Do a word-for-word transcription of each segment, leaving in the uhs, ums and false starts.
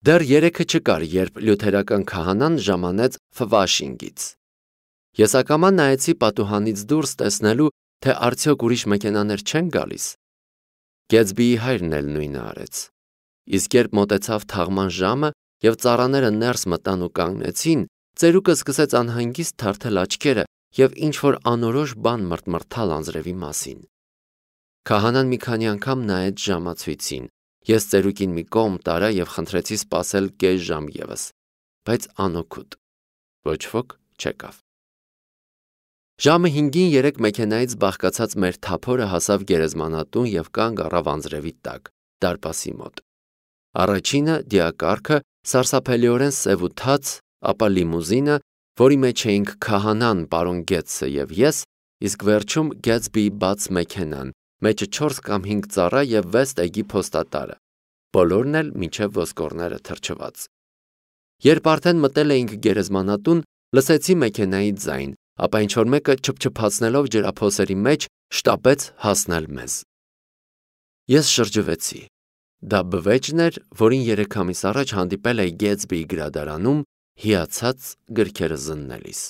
Դեռ երեքը չկար, երբ լյութերական քահանան ժամանեց Ֆլաշինգից։ Ես ակամա նայեցի պատուհանից դուրս տեսնելու, թե արդյոք ուրիշ մեքենաներ չեն գալիս։ Գեթսբիի հայրն էլ նույնը արեց։ Իսկ երբ մոտեցավ թաղման ժամը և ծառաները ներս մտան ու կանգնեցին, ծերուկը սկսեց անհանգիստ թարթել աչքերը և ինչ-որ անորոշ բան մռթմռթալ անձրևի մասին։ Քահանան մի քանի անգամ նայեց ժամացույցին։ Ես ծերուկին մի կողմ տարա և խնդրեցի սպասել կես ժամ ևս, բայց անօգուտ։ Ոչ ոք չեկավ։ Ժամը հինգին երեք մեքենայից բաղկացած մեր թափորը հասավ գերեզմանատուն և կանգ առավ անձրևի տակ, դարպասի մոտ։ Առաջինը դիակառքը, սարսափելիորեն սև ու թաց, ապա լիմուզինը, որի մեջ էինք քահանան, պարոն Գետսը և ես, իսկ վերջում Գեթսբիի բաց մեքենան, մեջը չորս կամ հինգ ծառա և վեց տեգի փոստատարը, բոլորն էլ մինչև ոսկորները թրջված։ Երբ արդեն մտել էինք գերեզմանատուն, լսեցի մեքենայի ձայն, ապա ինչ-որ մեկը չփչփացնելով ջրափոսերի մեջ շտապեց հասնել մեզ։ Ես շրջվեցի։ Դա բվեճն էր, որին երեք ամիս առաջ հանդիպել էի Գեթսբիի գրադարանում, հիացած գրքերը զննելիս։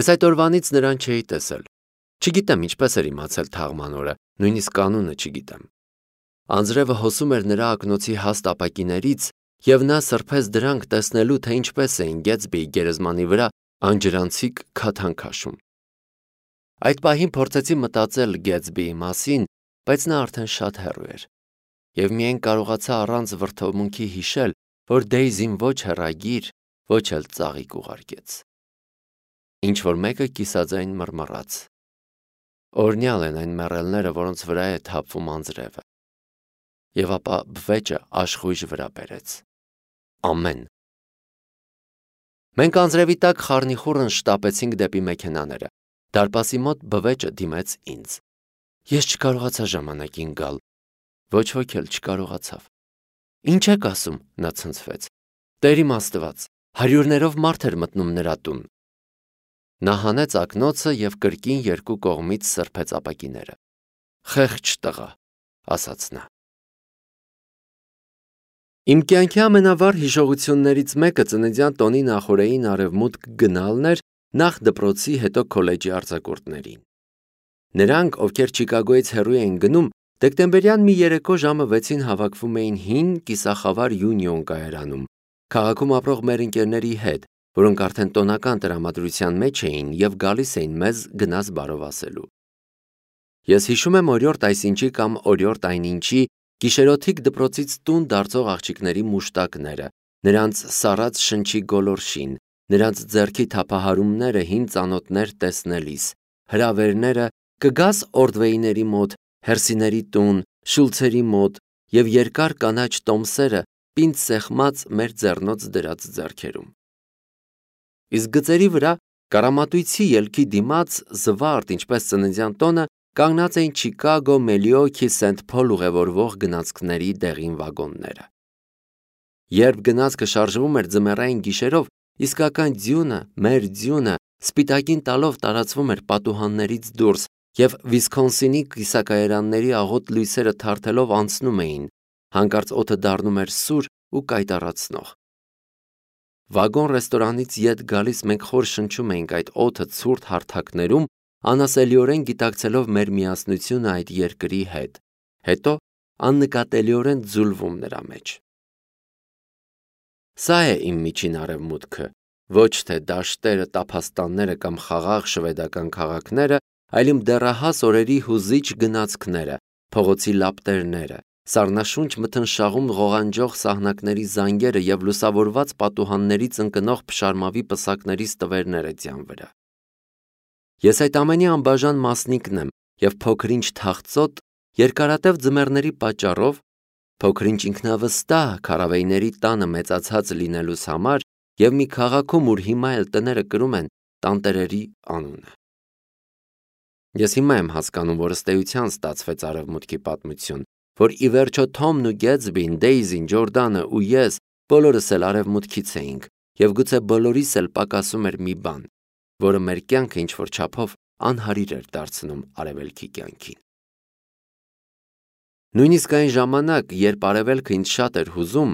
Ես այդ օրվանից նրան չէի տեսել։ Չգիտեմ ինչպես էր իմացել թաղման օրը, նույնիսկ կանունը չգիտեմ։ Անձրևը հոսում էր նրա ակնոցի հաստ ապակիներից, և նա սրբեց դրանք տեսնելու, թե ինչպես էին Գեթսբիի գերեզմանի վրա անջրանցիկ քաթան քաշում։ Այդ պահին փորձեցի մտածել Գեթսբիի մասին, բայց նա արդեն շատ հեռու էր, և միայն կարողացա առանց վրդովմունքի հիշել, որ Դեյզին ոչ հեռագիր, ոչ էլ ծաղիկ ուղարկեց։ Ինչ-որ մեկը կիսաձայն մռմռաց։ Օրհնյալ են այն մեռելները, որոնց վրա է թափվում անձրևը։ Եվ ապա բվեճը աշխույժ վրա բերեց։ Ամեն։ Մենք անձրևի տակ խառնիխուռն շտապեցինք դեպի մեքենաները։ Դարպասի մոտ բվեճը դիմեց ինձ։ Ես չկարողացա ժամանակին գալ։ Ոչ ոք էլ չկարողացավ։ Ինչ եք ասում, նա ցնցվեց։ Տեր իմ Աստված, հարյուրներով մարդ էր մտնում նրա տուն։ Նա հանեց ակնոցը և կրկին երկու կողմից սրբեց ապակիները։ Խեղճ տղա, ասաց նա։ Իմ կյանքի ամենավառ հիշողություններից մեկը ծննդյան տոնի նախօրեին արևմուտք գնալն էր, նախ դպրոցի, հետո քոլեջի արձակուրդներին։ Նրանք, ովքեր Չիկագոյից հեռու էին գնում, դեկտեմբերյան մի երեկո ժամը վեցին հավաքվում էին հին կիսախավար Յունիոն կայարանում, քաղաքում ապրող մեր ընկերների հետ, որոնք արդեն տոնական տրամադրության մեջ էին և գալիս էին մեզ գնաս բարով ասելու։ Ես հիշում եմ օրիորդ այսինչի կամ օրիորդ այնինչի գիշերօթիկ դպրոցից տուն դարձող աղջիկների մուշտակները, նրանց սառած շնչի գոլորշին, նրանց ձեռքի թափահարումները հին ծանոթներ տեսնելիս, հրավերները կգաս Օրդվեյների մոտ, Հերսիների տուն, Շուլցերի մոտ և երկար կանաչ տոմսերը պինդ սեղմած մեր ձեռնոց դրած ձեռքերում։ Իսկ գծերի վրա կարամատույցի ելքի դիմաց զվարթ, ինչպես ծննդյան տոնը, կանգնած էին Չիկագո, Մելիոքի, Սենթ Փոլ ուղևորվող գնացքների դեղին վագոնները։ Երբ գնացքը շարժվում էր ձմեռային գիշերով, իսկական ձյունը, մեր ձյունը, սպիտակին տալով տարածվում էր պատուհաններից դուրս, և Վիսքոնսինի կիսակայարանների աղոտ լույսերը թարթելով անցնում էին, հանկարծ օդը դառնում էր սուր ու կայտառացնող։ Վագոն ռեստորանից ետ գալիս մենք խոր շնչում էինք այդ օդը ցուրտ հարթակներում, անասելիորեն գիտակցելով մեր միասնությունը այդ երկրի հետ, հետո աննկատելիորեն ձուլվում նրա մեջ։ Սա է իմ միջին արևմուտքը, ոչ թե դաշտերը, տափաստանները կամ խաղաղ շվեդական քաղաքները, այլ իմ դեռահաս օրերի հուզիչ գնացքները, փողոցի լապտերները, սառնաշունչ մթնշաղում ղողանջող սահնակների զանգերը և լուսավորված պատուհաններից ընկնող փշարմավի պսակների ստվերները ձյան վրա։ Ես այդ ամենի անբաժան մասնիկն եմ և փոքր-ինչ թախծոտ, երկարատև ձմեռների պատճառով, փոքր-ինչ ինքնավստահ քարավեիների տանը մեծացած լինելուս համար և մի քաղաքում, ուր հիմա էլ տները կրում են տանտերերի անունը։ Ես հիմա եմ հասկանում, որ ըստ էության ստացվեց արևմուտքի պատմություն, որ ի վերջո Թոմն ու Գեթսբին, Դեյզին, Ջորդանը ու ես բոլորս էլ արևմուտքից էինք, և գուցե բոլորիս էլ պակասում էր մի բան, որը մեր կյանքը ինչ-որ չափով անհարիր էր դարձնում արևելքի կյանքին։ Նույնիսկ այն ժամանակ, երբ արևելքը ինձ շատ էր հուզում,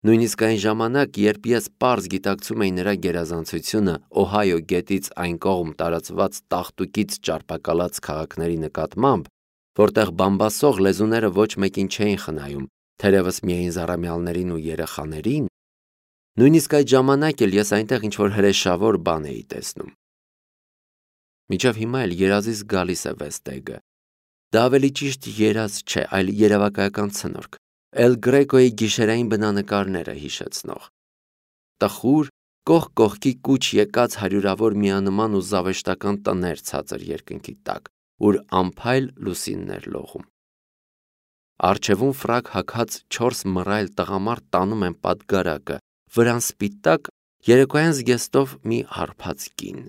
Նույնիսկ այն ժամանակ, երբ ես պարզ գիտակցում էի նրա գերազանցությունը Օհայո գետից այն կողմ տարածված տաղտուկից ճարպակալած քաղաքների նկատմամբ, որտեղ բամբասող լեզուները ոչ մեկին չէին խնայում, թերևս միայն զառամյալներին ու երեխաներին, նույնիսկ այդ ժամանակ էլ ես այնտեղ ինչ-որ հրեշավոր բան էի տեսնում։ Մինչև հիմա էլ երազիս գալիս է Վեստեգը։ Դա ավելի ճիշտ երազ չէ, այլ երևակայական ցնորք, Էլ Գրեկոյի գիշերային բնանկարները հիշեցնող։ Տխուր, կողք կողքի կուչ եկած հարյուրավոր միանման ու զավեշտական տներ ցածր երկնքի տակ, ուր անփայլ լուսիններ լողում։ Առջևում ֆրակ հագած չորս մռայլ տղամարդ տանում են պատգարակը, վրան սպիտակ, երեկոյան զգեստով մի հարբած կին։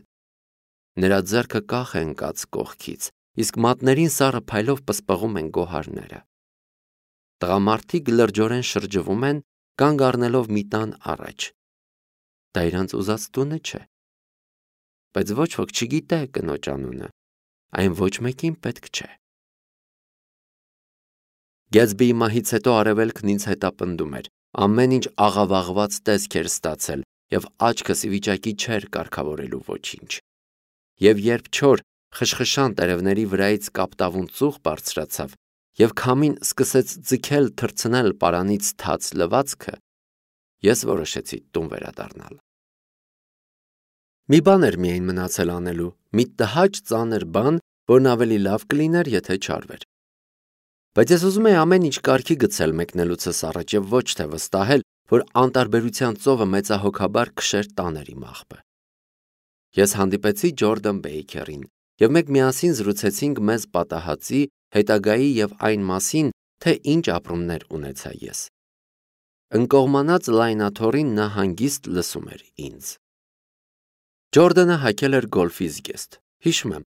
Նրա ձեռքը կախ է ընկած կողքից, իսկ մատներին սառը փայլով պսպղում են գոհարները։ Տղամարդիկ լրջորեն շրջվում են, կանգ առնելով մի տան առաջ։ Դա իրանց ուզած տունը չէ։ Բայց ոչ ոք չգիտե կնոջ անունը, այն ոչ մեկին պետք չէ։ Գեթսբիի մահից հետո արևելքն ինձ հետապնդում էր, ամեն ինչ աղավաղված տեսք էր ստացել և աչքս ի վիճակի չէր կարգավորելու ոչինչ։ Եվ երբ չոր, խշխշան տերևների վրայից կապտավուն ծուխ բարձրացավ, և քամին սկսեց ձգել թռցնել պարանից թաց լվացքը, ես որոշեցի տուն վերադառնալ։ Մի բան էր միայն մնացել անելու, մի տհաճ ծանր բան, որն ավելի լավ կլիներ, եթե չարվեր։ Բայց ես ուզում էի ամեն ինչ կարգի գցել մեկնելուցս առաջ և ոչ թե վստահել, որ անտարբերության ծովը մեծահոգաբար քշեր տաներ իմ աղբը։ Ես հանդիպեցի Ջորդան Բեյքերին, և մենք միասին զրուցեցինք մեզ պատահածի, հետագայի և այն մասին, թե ինչ ապրումներ ունեցա ես։ Ընկողմանած լայնաթոռին նա հանգիստ լսում էր ինձ։ Ջորդանը հագել էր գոլֆի զգեստ։ Հիշում եմ,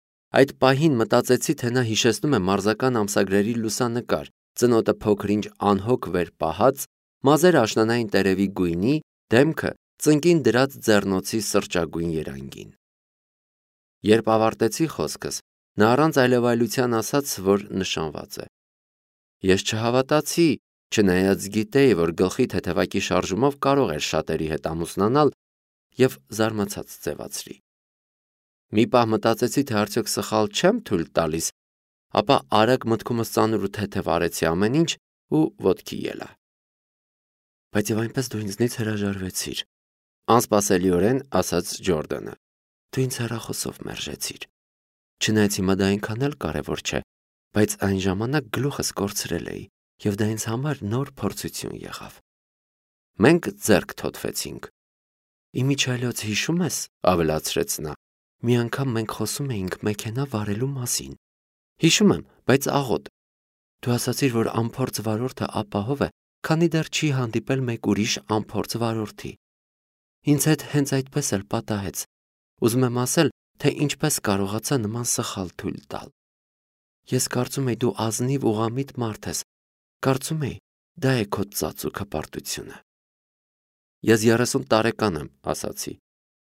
այդ պահին մտածեցի, թե նա հիշեցնում է մարզական ամսագրերի լուսանկար, ծնոտը փոքր-ինչ անհոգ վեր պահած, մազերը աշնանային տերևի գույնի, դեմքը ծնկին դրած ձեռնոցի սրճագույն երանգին։ Երբ ավարտեցի խոսքս, նա առանց այլևայլության ասաց, որ նշանված է։ Ես չհավատացի, չնայած գիտեի, որ գլխի թեթևակի շարժումով կարող էր շատերի հետ ամուսնանալ, և զարմացած ձևացրի։ Մի պահ մտածեցի, թե արդյոք սխալ չեմ թույլ տալիս, ապա արագ մտքումս ծանր ու թեթև արեցի ամեն ինչ ու ոտքի ելա։ Բայց և այնպես դու ինձնից հրաժարվեցիր, անսպասելիորեն ասաց Ջորդանը։ Դու ինձ հեռախոսով մերժեցիր։ Չնայած հիմա դա այնքան էլ կարևոր չէ, բայց այն ժամանակ գլուխս կորցրել էի, և դա ինձ համար նոր փորձություն եղավ։ Մենք ձեռք թոթվեցինք։ Իմիջիայլոց հիշում ես, ավելացրեց նա, մի անգամ մենք խոսում էինք մեքենա վարելու մասին։ Հիշում եմ, բայց աղոտ։ Դու ասացիր, որ անփորձ վարորդը ապահով է, քանի դեռ չի հանդիպել մեկ ուրիշ անփորձ վարորդի։ Ինձ հետ հենց այդպես էլ պատահեց։ Ուզում եմ ասել, թե ինչպես կարողացա նման սխալ թույլ տալ։ Ես կարծում էի դու ազնիվ ուղղամիտ մարդ ես, կարծում էի դա է քո ծածուկ հպարտությունը։ Ես երեսուն տարեկան եմ, ասացի։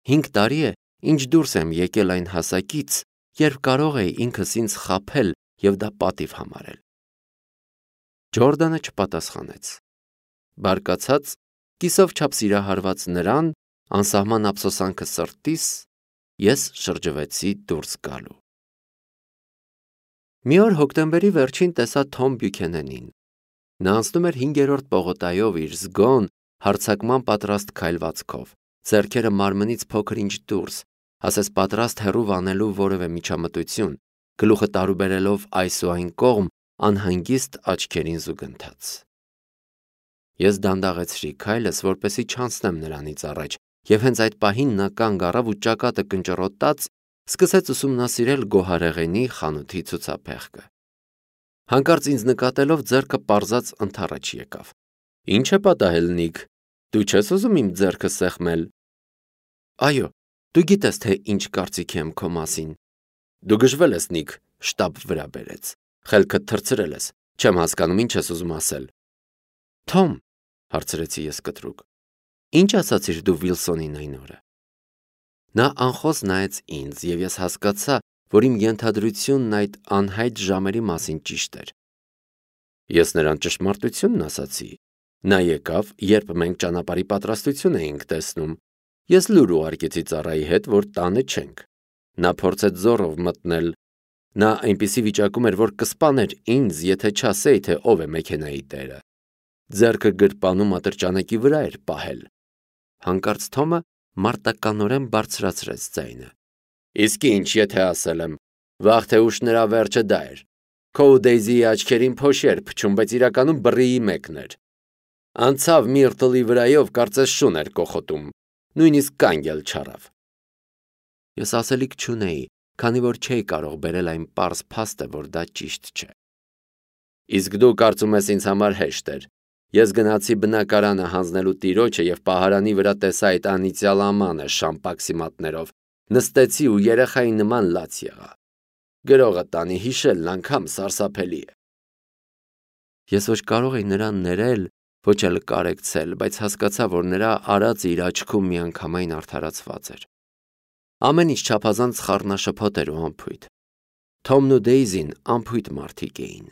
Հինգ տարի է, ինչ դուրս եմ եկել այն հասակից, երբ կարող էի ինքս ինձ խաբել և դա պատիվ համարել։ Ջորդանը չպատասխանեց։ Բարկացած, կիսով չափ սիրահարված նրան, անսահման ափսոսանքը սրտիս, ես շրջվեցի դուրս գալու։ Մի օր հոկտեմբերի վերջին տեսա Թոմ Բյուքենենին։ Նա անցնում էր հինգերորդ պողոտայով իր զգոն, հարձակման պատրաստ քայլվածքով, ձեռքերը մարմնից փոքր-ինչ դուրս, ասես պատրաստ հեռու վանելու որևէ միջամտություն, գլուխը տարուբերելով այս ու այն կողմ, անհանգիստ աչքերին զուգընթաց։ Ես դանդաղեցրի քայլս, որպեսզի չանցնեմ նրանից առաջ, և հենց այդ պահին նա կանգ առավ ու ճակատը կնճռոտած սկսեց ուսումնասիրել գոհարեղենի խանութի ցուցափեղկը։ Հանկարծ ինձ նկատելով ձեռքը պարզած ընդառաջ եկավ։ Ինչ է պատահել, Նիք, դու չես ուզում իմ ձեռքը սեղմել։ Այո, դու գիտես, թե ինչ կարծիք եմ քո մասին։ Դու գժվել ես, Նիք, շտապ վրա բերեց։ Խելքդ թռցրել ես, չեմ հասկանում ինչ ես ուզում ասել։ Թոմ, հարցրեցի ես կտրուկ, ինչ ասացիր դու Վիլսոնին այն օրը։ Նա անխոս նայեց ինձ, և ես հասկացա, որ իմ ենթադրությունն այդ անհայտ ժամերի մասին ճիշտ էր։ Ես նրան ճշմարտությունն ասացի, Նա եկավ, երբ մենք ճանապարհի պատրաստություն էինք տեսնում։ Ես լուր ուղարկեցի ծառայի հետ, որ տանը չենք։ Նա փորձեց զոռով մտնել։ Նա այնպիսի վիճակում էր, որ կսպաներ ինձ, եթե չասեի, թե ով է մեքենայի տերը։ Ձեռքը գրպանում ատրճանակի վրա էր պահել։ Հանկարծ Թոմը մարտականորեն բարձրացրեց ձայնը։ Իսկ ինչ, եթե ասել եմ, վաղ թե ուշ նրա վերջը դա էր։ Քո ու Դեյզիի աչքերին փոշի էր փչում, բայց իրականում բռիի մեկն էր։ Անցավ Միրտլի վրայով, կարծես շուն էր կոխոտում, նույնիսկ կանգ էլ չառավ։ Ես ասելիք չունեի, քանի որ չէի կարող բերել այն պարզ փաստը, որ դա ճիշտ չէ։ Իսկ դու կարծում ես ինձ համար հեշտ էր։ Ես գնացի բնակարանը հանձնելու տիրոջը եւ պահարանի վրա տեսա այդ անիծյալ ամանը շամպակսի մատներով, նստեցի ու երեխայի նման լաց եղա։ Գրողը տանի հիշելն անգամ սարսափելի է։ Ես ոչ կարող էի նրան ներել, ոչ էլ կարեկցել, բայց հասկացա, որ նրա արածը իր աչքում միանգամայն արդարացված էր։ Ամեն ինչ չափազանց խառնաշփոթ էր ու անփույթ։ Թոմն ու Դեյզին անփույթ մարդիկ էին։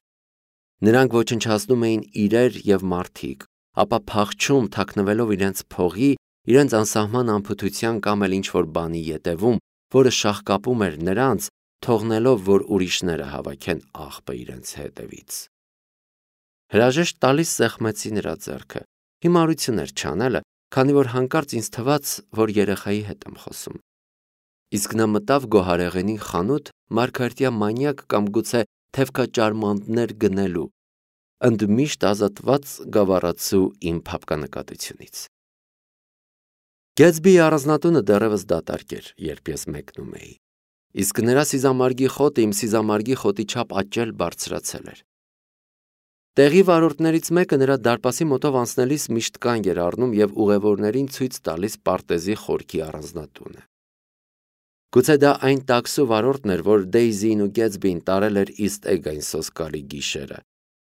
Նրանք ոչնչացնում էին իրեր եւ մարդիկ, ապա փախչում, թաքնվելով իրենց փողի, իրենց անսահման անփութության կամ էլ ինչ-որ բանի ետևում, որը շաղկապում էր նրանց, թողնելով, որ ուրիշները հավաքեն աղբը իրենց հետևից։ Հրաժեշտ տալիս սեղմեցի նրա ձեռքը։ Հիմարություն էր չանելը, քանի որ հանկարծ ինձ թվաց, որ երեխայի հետ եմ խոսում։ Իսկ նա մտավ գոհարեղենի խանութ մարգարտյա մանյակ կամ գուցե թևքաճարմանտներ գնելու, ընդմիշտ ազատված գավառացու իմ փափկանկատությունից։ Գեթսբիի առանձնատունը դեռևս դատարկ էր, երբ ես մեկնում էի, իսկ նրա սիզամարգի խոտը իմ սիզամարգի խոտի չափ աճել բարձրացել էր։ Տեղի վարորդներից մեկը նրա դարպասի մոտով անցնելիս միշտ կանգ էր առնում եւ ուղևորներին ցույց տալիս պարտեզի խորքի առանձնատունը։ Գուցե դա այն տաքսու վարորդն էր, որ Դեյզին ու Գեթսբին տարել էր Իստ Էգ այն սոսկալի գիշերը։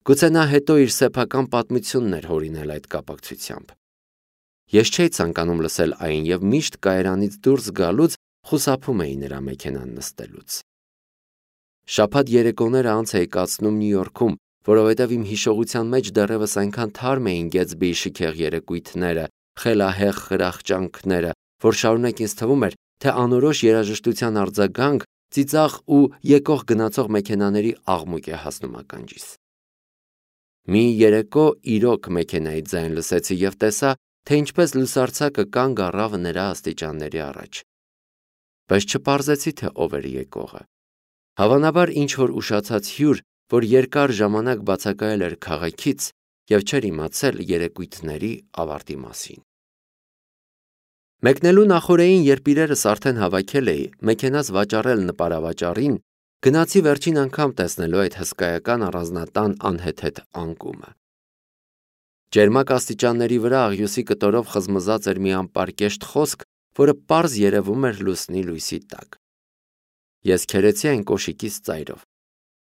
Գուցե նա հետո իր սեփական պատմությունն էր հորինել այդ կապակցությամբ։ Ես չէի ցանկանում լսել այն եւ միշտ կայարանից դուրս գալուց խուսափում էի նրա մեքենան նստելուց։ Շաբաթ երեկոները անց էի կացնում Նյու Յորքում, որովհետև իմ հիշողության մեջ դեռևս այնքան թարմ էին Գեթսբիի շքեղ երեկույթները, խելահեղ խրախճանքները, որ շարունակ ինձ թվում էր, թե անորոշ երաժշտության արձագանք ծիծաղ ու եկող գնացող մեքենաների աղմուկ է հասնում ականջիս։ Մի երեկո իրոք մեքենայի ձայն լսեցի եւ տեսա, թե ինչպես լուսարձակը կանգ առավ նրա աստիճանների առաջ։ Բայց չպարզեցի, թե ով էր եկողը։ Հավանաբար ինչ-որ ուշացած հյուր, որ երկար ժամանակ բացակայել էր քաղաքից եւ չէր իմացել երեկույթների ավարտի մասին։ Մեկնելու նախօրեին, երբ իրերս արդեն հավաքել էի, մեքենաս վաճառել նպարավաճառին, գնացի վերջին անգամ տեսնելու այդ հսկայական առանձնատան անհեթեթ անկումը։ Ջերմակ աստիճանների վրա աղյուսի կտորով խզմզած էր մի անպարկեշտ խոսք, որը պարզ երևում էր լուսնի լույսի տակ։ Ես քերեցի այն կոշիկից ծայրով։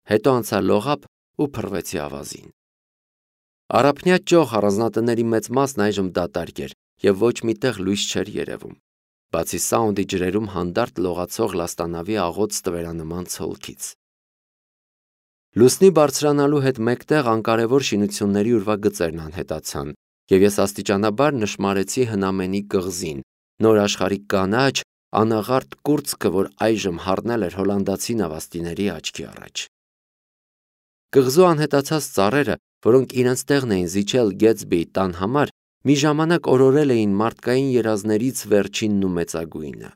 Հետո անցա լողափ ու փռվեցի ավազին։ Առափնյա ճոխ առանձնատների մեծ մասն այժմ դատարկ էր եւ ոչ միտեղ լույս չէր երևում, բացի Սաունդի ջրերում հանդարտ լողացող լաստանավի աղոտ ստվերանման ցոլքից։ Լուսնի բարձրանալու հետ մեկտեղ անկարևոր շինությունների ուրվագծերն անհետացան, եւ ես աստիճանաբար նշմարեցի հնամենի կղզին, նոր աշխարհի կանաչ, անաղարտ կուրծքը, որ այժմ հառնել էր հոլանդացի նավաստիների աչքի առաջ։ Կղզու անհետացած ծառերը, որոնք իրենց տեղն էին զիջել Գեթսբիի տան համար, մի ժամանակ օրորել էին մարդկային երազներից վերջինն ու մեծագույնը։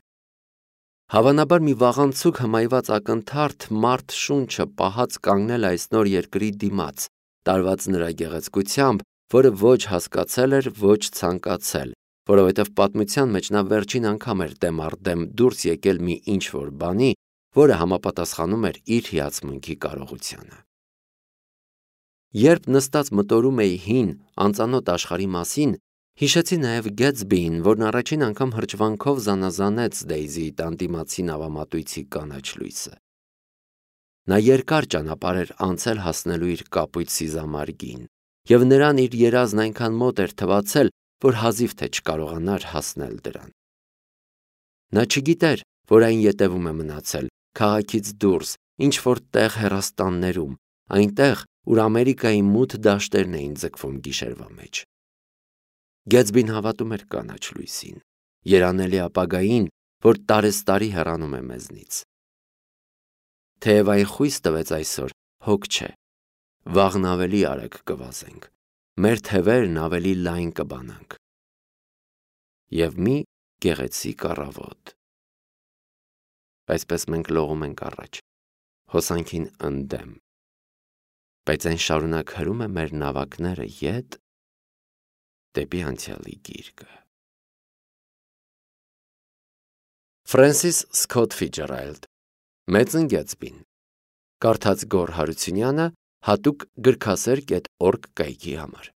Հավանաբար մի վաղանցուկ հմայված ակնթարթ մարդ շունչը պահած կանգնել այս նոր երկրի դիմաց, տարված նրա գեղեցկությամբ, որը ոչ հասկացել էր, ոչ ցանկացել, որովհետև պատմության մեջ նա վերջին անգամ էր դեմ առ դեմ դուրս եկել մի ինչ-որ բանի, որը համապատասխանում էր իր հիացմունքի կարողությանը։ Երբ նստած մտորում էի հին, անծանոթ աշխարհի մասին, հիշեցի նաև Գեթսբիին, որն առաջին անգամ հրճվանքով զանազանեց Դեյզիի տան դիմացի նավամատույցի կանաչ լույսը։ Նա երկար ճանապարհ էր անցել հասնելու իր կապույտ սիզամարգին, եւ նրան իր երազն այնքան մոտ էր թվացել, որ հազիվ թե չկարողանար հասնել դրան։ Նա չգիտեր, որ այն ետևում է մնացել, քաղաքից դուրս, ինչ-որ տեղ հեռաստաններում, այնտեղ, ուր Ամերիկայի մութ դաշտերն էին ձգվում գիշերվա մեջ։ Գեթսբին հավատում էր կանաչ լույսին, երանելի ապագային, որ տարեստարի հեռանում է մեզնից։ Թեև այն խույս տվեց այսօր, հոգ չէ, վաղն ավելի արագ կվազենք, մեր թևերն ավելի լայն կբանանք։ Եվ մի գեղեցիկ առավոտ։ Այսպես մենք լողում ենք առաջ, հոսանքին ընդդեմ, բայց այն շարունակ հրում է մեր նավակները ետ դեպի անցյալի գիրկը։ Ֆրենսիս Սքոթ Ֆիցջերալդ, Մեծն Գեթսբին, կարդաց Գոռ Հարությունյանը, հատուկ գրքասեր կետ օրգ կայքի համար։